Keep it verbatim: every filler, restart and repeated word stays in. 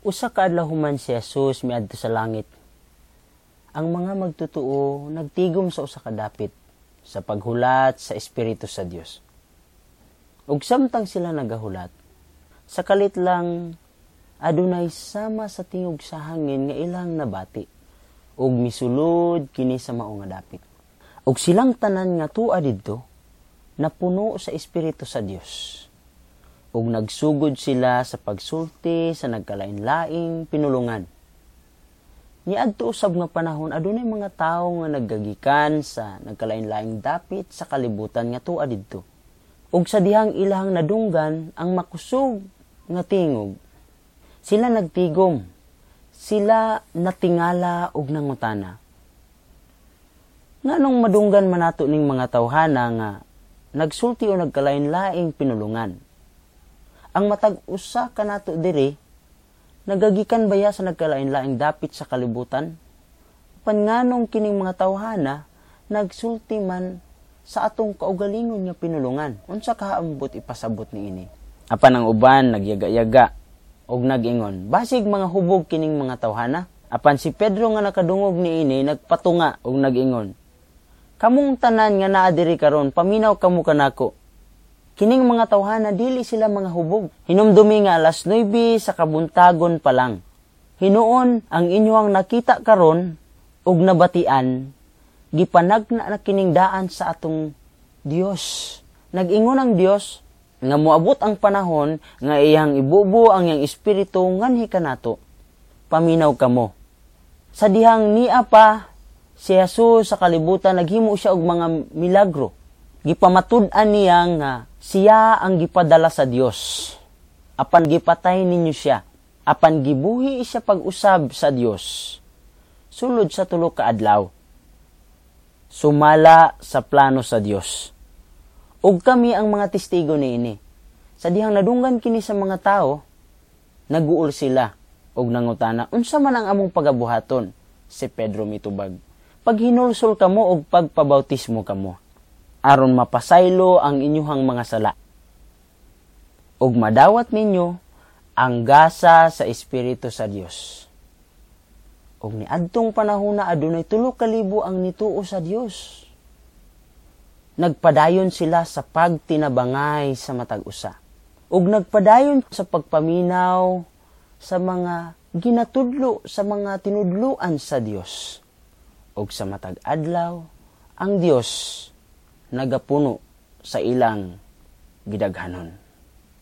Usa ka adlaw human si Jesus miadto sa langit. Ang mga magtutuo nagtigom sa usa ka dapit sa paghulat sa Espiritu sa Dios. Ug samtang sila nagahulat, sa kalit lang adunay sama sa tingog sa hangin nga ilang nabati ug misulod kini sa mao nga dapit. Ug silang tanan nga tua didto napuno sa Espiritu sa Dios. Ug nagsugod sila sa pagsulti sa nagkalain-laing pinulungan. Niadto usab nga panahon, adunay mga tawo nga naggagikan sa nagkalain-laing dapit sa kalibutan nga tua didto. Ug sa dihang ilahang nadunggan ang makusog nga tingog, sila nagtigom, sila natingala ug nangutana. Nganong madunggan man nato ning mga tawhana nga nagsulti o nagkalain-laing pinulungan? Ang matag usa kanato diri nagagikan baya sa nagkalain-laing dapit sa kalibutan? Apan nganong kining mga tawhana nagsulti man sa atong kaugalingon nga pinulungan? Unsa kaambot ipasabot niini? Apan ang uban nagyaga-yaga og nag-ingon, "Basig mga hubog kining mga tawhana." Apan si Pedro nga nakadungog niini nagpatunga og nag-ingon, "Kamong tanan nga naa diri karon, paminaw kamo kanako. Kining mga tawhana, dili sila mga hubog. Hinumdumi nga alas nuwebe sa kabuntagon pa lang. Hinuon ang inyong nakita karon ug nabatian, gipanagna na kining daan sa atong Dios. Nag-ingon ang Dios nga moabot ang panahon nga iyang ibubo ang iyang espiritu nganhi kanato. Paminaw kamo." Sa dihang nia pa si Jesus sa kalibutan, naghimo siya og mga milagro. Gipamatud-an niya nga siya ang gipadala sa Dios. Apan gipatay ninyo siya. Apan gibuhi siya pag-usab sa Dios sulod sa tulo ka adlaw, sumala sa plano sa Dios. Ug kami ang mga testigo niini. Sa dihang nadunggan kini sa mga tao, naguol sila ug nangutana, "Unsa man ang among pagabuhaton?" Si Pedro mitubag, "Paghinulsol kamo og pagpabautismo kamo aron mapasaylo ang inyuhang mga sala ug madawat ninyo ang gasa sa Espiritu sa Dios." Ug niadtong panahona, adunay tulo ka libo ang nituo sa Dios. Nagpadayon sila sa pagtinabangay sa matag usa. Ug nagpadayon sa pagpaminaw sa mga ginatudlo, sa mga tinudluan sa Dios. Ug sa matag adlaw, ang Dios nagapuno sa ilang gidaghanon.